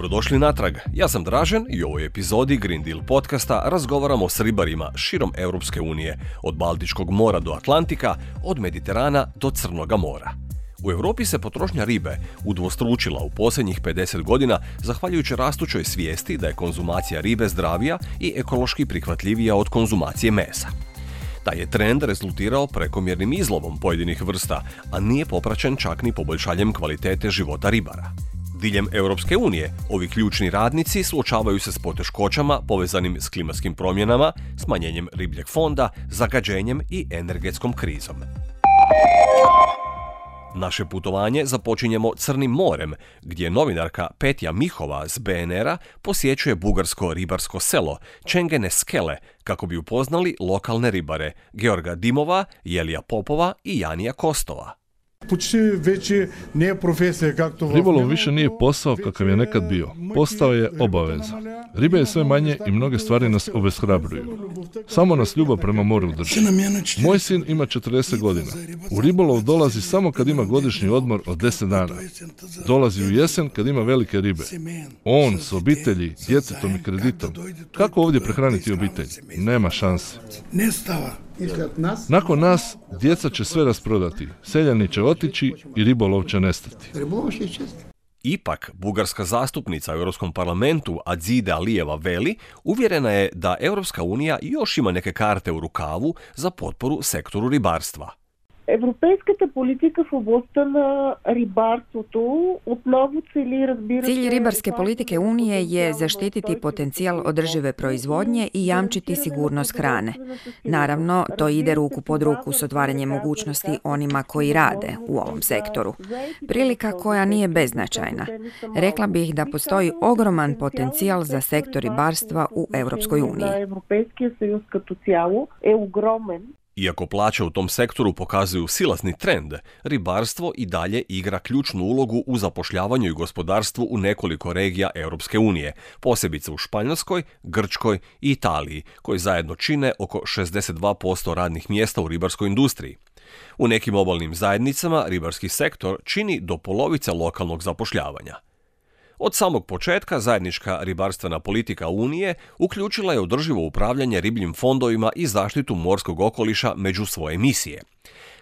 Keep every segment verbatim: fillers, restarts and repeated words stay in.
Dobrodošli natrag, ja sam Dražen i u ovoj epizodi Green Deal podcasta razgovaramo s ribarima širom Europske unije, od Baltičkog mora do Atlantika, od Mediterana do Crnoga mora. U Europi se potrošnja ribe udvostručila u posljednjih pedeset godina zahvaljujući rastućoj svijesti da je konzumacija ribe zdravija i ekološki prihvatljivija od konzumacije mesa. Taj je trend rezultirao prekomjernim izlovom pojedinih vrsta, a nije popraćen čak ni poboljšanjem kvalitete života ribara. Diljem Europske unije, ovi ključni radnici suočavaju se s poteškoćama povezanim s klimatskim promjenama, smanjenjem ribljeg fonda, zagađenjem i energetskom krizom. Naše putovanje započinjemo Crnim morem, gdje novinarka Petja Mihova s be en era posjećuje bugarsko ribarsko selo Čengene Skele kako bi upoznali lokalne ribare Georga Dimova, Jelija Popova i Janija Kostova. Ribolov više nije posao kakav je nekad bio. Postao je obaveza. Ribe je sve manje i mnoge stvari nas obeshrabruju. Samo nas ljubav prema moru drži. Moj sin ima četrdeset godina. U ribolov dolazi samo kad ima godišnji odmor od deset dana. Dolazi u jesen kad ima velike ribe. On s obitelji, djetetom i kreditom. Kako ovdje prehraniti obitelj? Nema šanse. Nakon nas, djeca će sve rasprodati, seljani će otići i ribolov će nestati. Ipak, bugarska zastupnica u Europskom parlamentu Adzide Alijeva veli uvjerena je da Europska unija još ima neke karte u rukavu za potporu sektoru ribarstva. Европейската политика в областта на рибарството отново цели, разбира се... Cilj ribarske politike Unije je zaštititi potencijal održive proizvodnje i jamčiti sigurnost hrane. Naravno, to ide ruku pod ruku s otvaranjem mogućnosti onima koji rade u ovom sektoru. Prilika koja nije beznačajna. Rekla bih da postoji ogroman potencijal za sektor ribarstva u Europskoj uniji. Европейския съюз като цяло е огромен. Iako plaće u tom sektoru pokazuju silazni trend, ribarstvo i dalje igra ključnu ulogu u zapošljavanju i gospodarstvu u nekoliko regija Europske unije, posebice u Španjolskoj, Grčkoj i Italiji, koji zajedno čine oko šezdeset dva posto radnih mjesta u ribarskoj industriji. U nekim obalnim zajednicama ribarski sektor čini do polovice lokalnog zapošljavanja. Od samog početka zajednička ribarstvena politika Unije uključila je održivo upravljanje ribljim fondovima i zaštitu morskog okoliša među svoje misije.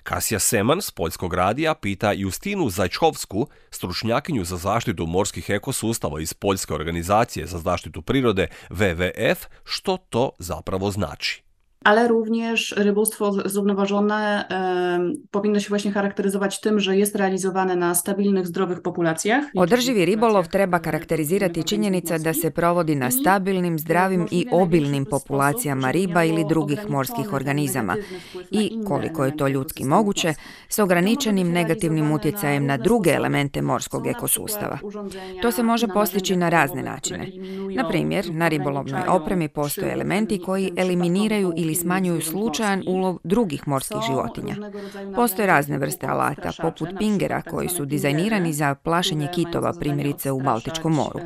Kasija Seman s Poljskog radija pita Justinu Zajčkovsku, stručnjakinju za zaštitu morskih ekosustava iz Poljske organizacije za zaštitu prirode W W F, što to zapravo znači. Ale również rybołówstwo zrównoważone e, powinno się właśnie charakteryzować tym, że jest realizowane na stabilnych, zdrowych populacjach. Održivi ribolov treba karakterizirati činjenica da se provodi na stabilnim, zdravim i obilnim populacijama riba ili drugih morskih organizama i, koliko je to ljudski moguće, s ograničenim negativnim utjecajem na druge elemente morskog ekosustava. To se može postići na razne načine. Na primjer, na ribolovnoj opremi postoje elementi koji eliminiraju ili smanjuju slučajan ulov drugih morskih životinja. Postoje razne vrste alata, poput pingera, koji su dizajnirani za plašenje kitova, primjerice u Baltičkom moru.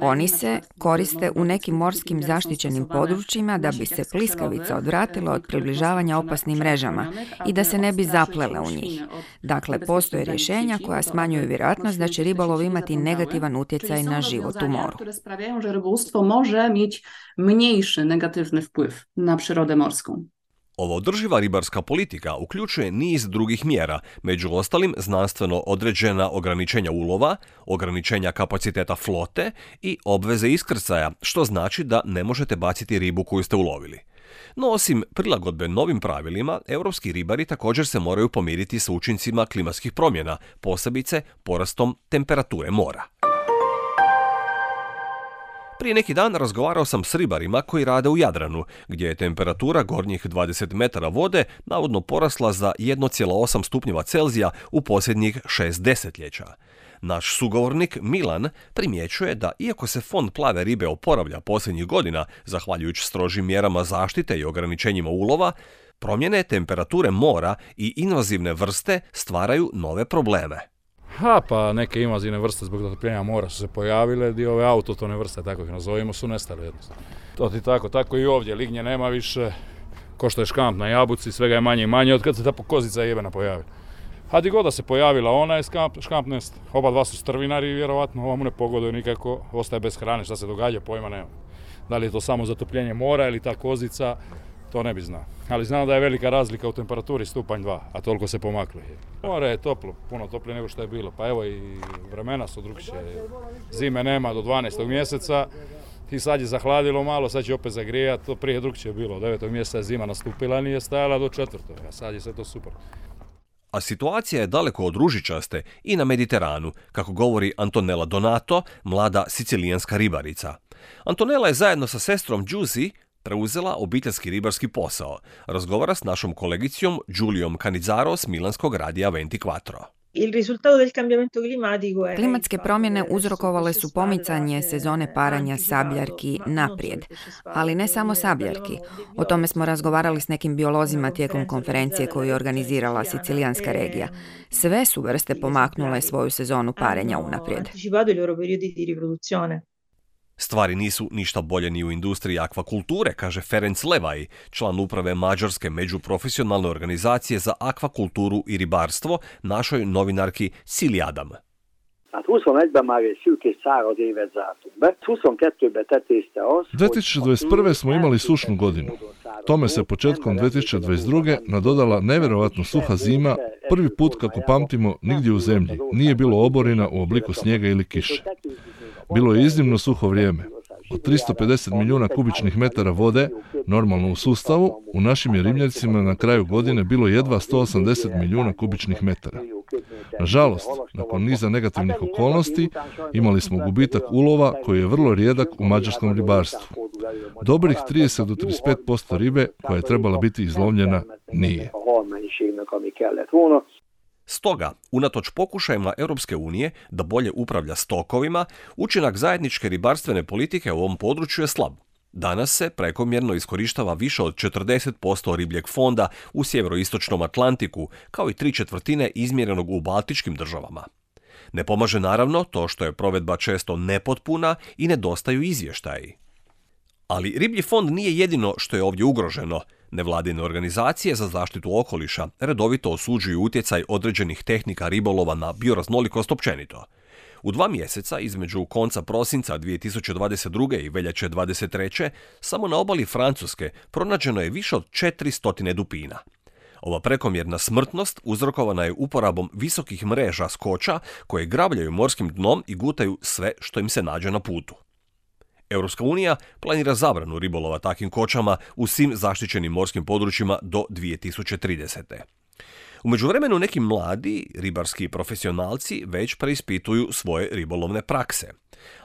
Oni se koriste u nekim morskim zaštićenim područjima da bi se pliskavica odvratila od približavanja opasnim mrežama i da se ne bi zaplele u njih. Dakle, postoje rješenja koja smanjuju vjerojatnost da će ribolov imati negativan utjecaj na život u moru. Mniejszy negatywny wpływ na przyrodę morską. Ova održiva ribarska politika uključuje niz drugih mjera, među ostalim znanstveno određena ograničenja ulova, ograničenja kapaciteta flote i obveze iskrcaja, što znači da ne možete baciti ribu koju ste ulovili. No osim prilagodbe novim pravilima, europski ribari također se moraju pomiriti s učincima klimatskih promjena, posebice porastom temperature mora. Prije neki dan razgovarao sam s ribarima koji rade u Jadranu, gdje je temperatura gornjih dvadeset metara vode navodno porasla za jedan zarez osam stupnjeva Celzija u posljednjih šest desetljeća. Naš sugovornik Milan primjećuje da iako se fond plave ribe oporavlja posljednjih godina, zahvaljujući strožim mjerama zaštite i ograničenjima ulova, promjene temperature mora i invazivne vrste stvaraju nove probleme. Ha, pa neke invazivne vrste zbog zatopljenja mora su se pojavile, dio ove autotone vrste, tako ih nazovimo, su nestale jednostavno. To ti tako, tako i ovdje, lignje nema više, ko što je škamp na jabuci, svega je manje i manje od kad se ta kozica jebena pojavi. A di god da se pojavila ona je škamp, škampnest. Oba dva su strvinari i vjerovatno ovamu ne pogoduje nikako, ostaje bez hrane. Šta se događa, pojma nema. Da li je to samo zatopljenje mora ili ta kozica, to ne bi znao. Ali znam da je velika razlika u temperaturi stupanj dva, a toliko se pomaklo. More je toplo, puno toplije nego što je bilo. Pa evo i vremena su drukčije. Zime nema do dvanaestog mjeseca i sad je zahladilo malo, sad će opet zagrijati. To prije drukčije bilo. Od devetog mjeseca je zima nastupila, nije stajala do četvrtog, a sad je sve to super. A situacija je daleko od ružičaste i na Mediteranu, kako govori Antonella Donato, mlada sicilijanska ribarica. Antonella je zajedno sa sestrom Giusy preuzela obiteljski ribarski posao. Razgovara s našom kolegicom Giuliom Canizzaro s milanskog radija ventiquattro. Klimatske promjene uzrokovale su pomicanje sezone paranja sabljarki naprijed, ali ne samo sabljarki. O tome smo razgovarali s nekim biolozima tijekom konferencije koju je organizirala sicilijanska regija. Sve su vrste pomaknule svoju sezonu parenja unaprijed. Stvari nisu ništa bolje ni u industriji akvakulture, kaže Ferenc Levaj, član uprave mađarske međuprofesionalne organizacije za akvakulturu i ribarstvo, našoj novinarki Szili Adam. dvije tisuće dvadeset prve. smo imali sušnu godinu. Tome se početkom dvije tisuće dvadeset druge. nadodala nevjerojatno suha zima, prvi put kako pamtimo nigdje u zemlji. Nije bilo oborina u obliku snijega ili kiše. Bilo je iznimno suho vrijeme. Od tristo pedeset milijuna kubičnih metara vode, normalno u sustavu, u našim je ribnjacima na kraju godine bilo jedva sto osamdeset milijuna kubičnih metara. Nažalost, nakon niza negativnih okolnosti, imali smo gubitak ulova koji je vrlo rijedak u mađarskom ribarstvu. Dobrih trideset do trideset pet posto ribe koja je trebala biti izlovljena nije. Stoga, unatoč pokušajima Europske unije da bolje upravlja stokovima, učinak zajedničke ribarstvene politike u ovom području je slab. Danas se prekomjerno iskorištava više od četrdeset posto ribljeg fonda u sjeveroistočnom Atlantiku, kao i tri četvrtine izmjerenog u baltičkim državama. Ne pomaže naravno to što je provedba često nepotpuna i nedostaju izvještaji. Ali riblji fond nije jedino što je ovdje ugroženo. Nevladine organizacije za zaštitu okoliša redovito osuđuju utjecaj određenih tehnika ribolova na bioraznolikost općenito. U dva mjeseca, između konca prosinca dvije tisuće dvadeset druge. i veljače dvadeset treće. samo na obali Francuske pronađeno je više od četiristo dupina. Ova prekomjerna smrtnost uzrokovana je uporabom visokih mreža skoča koje grabljaju morskim dnom i gutaju sve što im se nađe na putu. Europska unija planira zabranu ribolova takvim kočama u svim zaštićenim morskim područjima do dvije tisuće tridesete. U međuvremenu neki mladi ribarski profesionalci već preispituju svoje ribolovne prakse.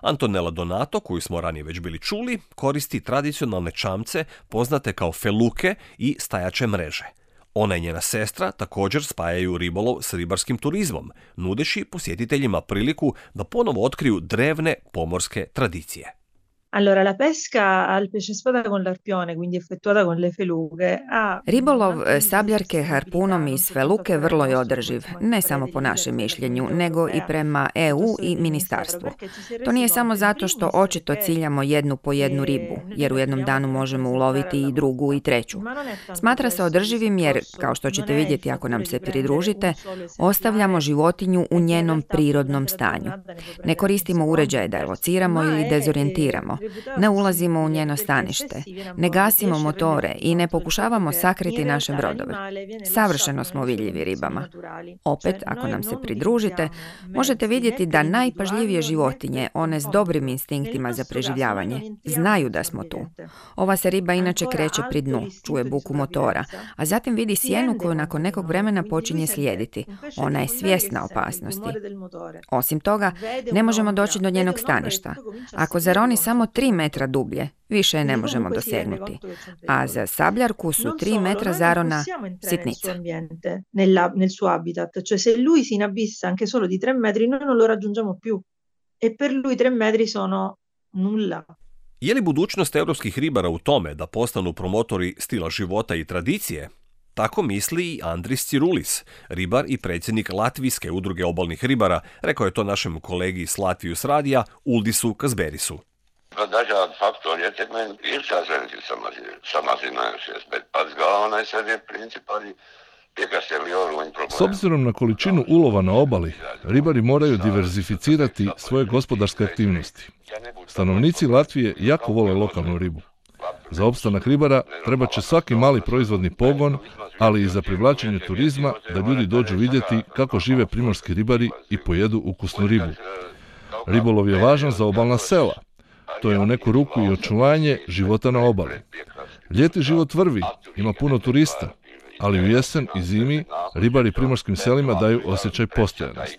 Antonella Donato, koju smo ranije već bili čuli, koristi tradicionalne čamce poznate kao feluke i stajače mreže. Ona i njena sestra također spajaju ribolov s ribarskim turizmom, nudeći posjetiteljima priliku da ponovo otkriju drevne pomorske tradicije. Allora, la pesca al pesce spada con l'arpione, quindi effettuata con le feluche, ha... Ribolov sabljarke harpunom iz feluke vrlo je održiv, ne samo po našem mišljenju, nego i prema E U i ministarstvu. To nije samo zato što očito ciljamo jednu po jednu ribu, jer u jednom danu možemo uloviti i drugu i treću. Smatra se održivim jer, kao što ćete vidjeti ako nam se pridružite, ostavljamo životinju u njenom prirodnom stanju. Ne koristimo uređaje da je lociramo ili dezorijentiramo. Ne ulazimo u njeno stanište, ne gasimo motore i ne pokušavamo sakriti naše brodove. Savršeno smo vidljivi ribama. Opet, ako nam se pridružite, možete vidjeti da najpažljivije životinje, one s dobrim instinktima za preživljavanje, znaju da smo tu. Ova se riba inače kreće pri dnu, čuje buku motora, a zatim vidi sjenu koju nakon nekog vremena počinje slijediti. Ona je svjesna opasnosti. Osim toga, ne možemo doći do njenog staništa. Ako zaroni samo tri metra dublje, više je ne možemo dosegnuti. A za sabljarku su tri metra zarona sitnica. Nel suo habitat, cioè se lui si inabissa anche solo di tre metri, noi non lo raggiungiamo più. E per lui tre metri sono nulla. Je li budućnost europskih ribara u tome da postanu promotori stila života i tradicije? Tako misli i Andris Cirulis, ribar i predsjednik Latvijske udruge obalnih ribara, rekao je to našem kolegi s Latvijus radija Uldisu Kazberisu. Dažādi faktori ietekmē, ir tās reliģijas samazinājušies, bet pats galvenais arī principā arī S obzirom na količinu ulova na obali, ribari moraju diverzificirati svoje gospodarske aktivnosti. Stanovnici Latvije jako vole lokalnu ribu. Za opstanak ribara treba će svaki mali proizvodni pogon, ali i za privlačenje turizma da ljudi dođu vidjeti kako žive primorski ribari i pojedu ukusnu ribu. Ribolov je važan za obalna sela. To je u neku ruku i očuvanje života na obali. Ljeti život vrvi, ima puno turista, ali u jesen i zimi ribari primorskim selima daju osjećaj postojanosti.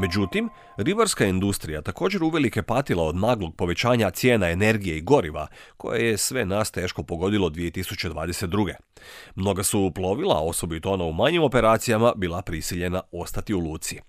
Međutim, ribarska industrija također uvelike patila od naglog povećanja cijena energije i goriva, koje je sve nas teško pogodilo dvije tisuće dvadeset druge. Mnoga su plovila, osobito ona u manjim operacijama, bila prisiljena ostati u luci.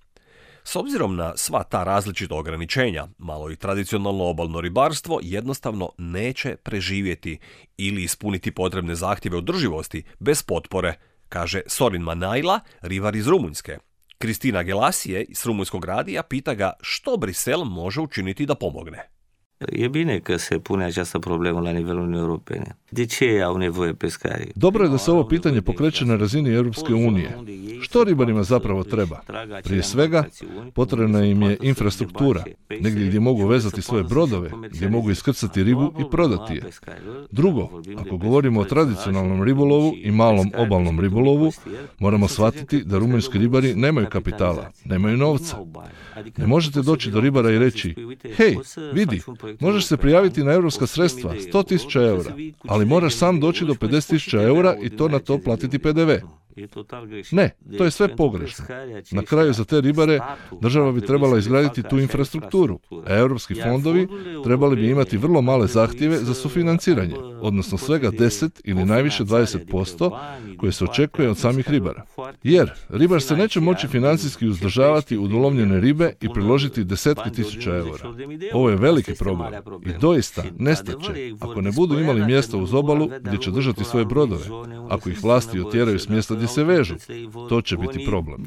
S obzirom na sva ta različita ograničenja, malo i tradicionalno obalno ribarstvo jednostavno neće preživjeti ili ispuniti potrebne zahtjeve održivosti bez potpore, kaže Sorin Manajla, ribar iz Rumunjske. Kristina Gelasije iz Rumunjskog radija pita ga što Brisel može učiniti da pomogne. E bine că se pune această problemă la nivelul Uniunii Europene. De ce au nevoie pescarii? Dobro je da se ovo pitanje pokreće na razini Europske unije. Što ribarima zapravo treba? Prije svega, potrebna im je infrastruktura, negdje gdje mogu vezati svoje brodove, gdje mogu iskrcati ribu i prodati je. Drugo, ako govorimo o tradicionalnom ribolovu i malom obalnom ribolovu, moramo shvatiti da rumunjski ribari nemaju kapitala, nemaju novca. Ne možete doći do ribara i reći, hej, vidi, možeš se prijaviti na europska sredstva, sto tisuća eura, ali moraš sam doći do pedeset tisuća eura i to na to platiti pe de ve. Ne, to je sve pogrešno. Na kraju za te ribare država bi trebala izgraditi tu infrastrukturu, a europski fondovi trebali bi imati vrlo male zahtjeve za sufinanciranje, odnosno svega deset ili najviše dvadeset posto koje se očekuje od samih ribara. Jer ribar se neće moći financijski uzdržavati od ulovljene ribe i priložiti desetke tisuća eura. Ovo je veliki problem i doista nestaće ako ne budu imali mjesta uz obalu gdje će držati svoje brodove, ako ih vlasti otjeraju s mjesta gdje se vežu. To će biti problem.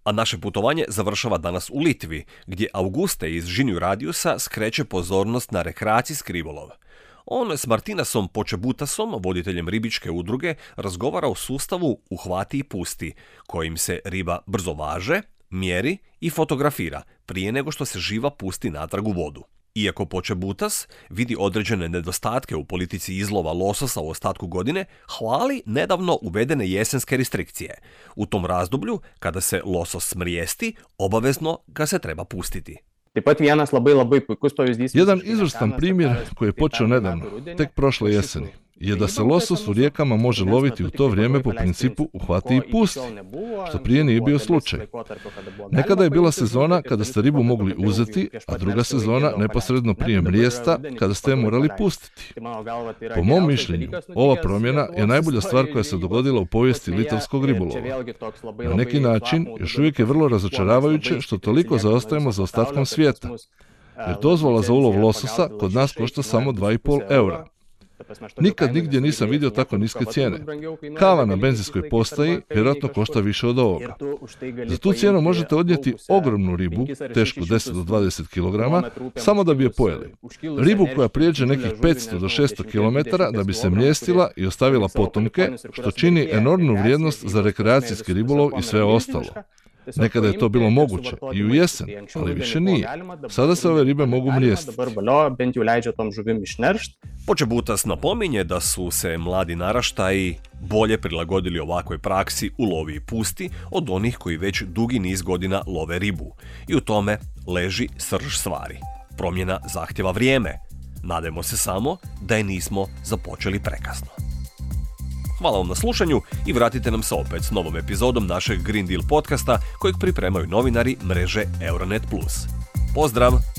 A naše putovanje završava danas u Litvi, gdje Auguste iz Žinju Radiusa skreće pozornost na rekreacijski ribolov. On s Martinasom Počebutasom, voditeljem ribičke udruge, razgovara o sustavu uhvati i pusti, kojim se riba brzo važe, mjeri i fotografira prije nego što se živa pusti natrag u vodu. Iako Počebutas vidi određene nedostatke u politici izlova lososa u ostatku godine, hvali nedavno uvedene jesenske restrikcije. U tom razdoblju, kada se losos smrijesti, obavezno ga se treba pustiti. Jedan izvrstan primjer koji je počeo nedavno, tek prošle jeseni, je da se losos u rijekama može loviti u to vrijeme po principu uhvati i pusti, što prije nije bio slučaj. Nekada je bila sezona kada ste ribu mogli uzeti, a druga sezona neposredno prije mrijesta kada ste je morali pustiti. Po mom mišljenju, ova promjena je najbolja stvar koja se dogodila u povijesti litavskog ribolova. Na neki način, još uvijek je vrlo razočaravajuće što toliko zaostajemo za ostatkom svijeta, jer dozvola za ulov lososa kod nas košta samo dva i pol eura. Nikad nigdje nisam vidio tako niske cijene. Kava na benzinskoj postaji vjerojatno košta više od ovoga. Za tu cijenu možete odnijeti ogromnu ribu, tešku deset do dvadeset kilograma, samo da bi je pojeli. Ribu koja prijeđe nekih petsto do šesto kilometara da bi se mrijestila i ostavila potomke, što čini enormnu vrijednost za rekreacijski ribolov i sve ostalo. Nekada je to bilo moguće i u jesen, ali više nije. Sada se ove ribe mogu mrijestiti. Počebutas napominje da su se mladi naraštaji bolje prilagodili ovakvoj praksi u lovi i pusti od onih koji već dugi niz godina love ribu. I u tome leži srž stvari. Promjena zahtjeva vrijeme. Nadajmo se samo da je nismo započeli prekasno. Hvala vam na slušanju i vratite nam se opet s novom epizodom našeg Green Deal podcasta kojeg pripremaju novinari mreže Euronet plus. Pozdrav!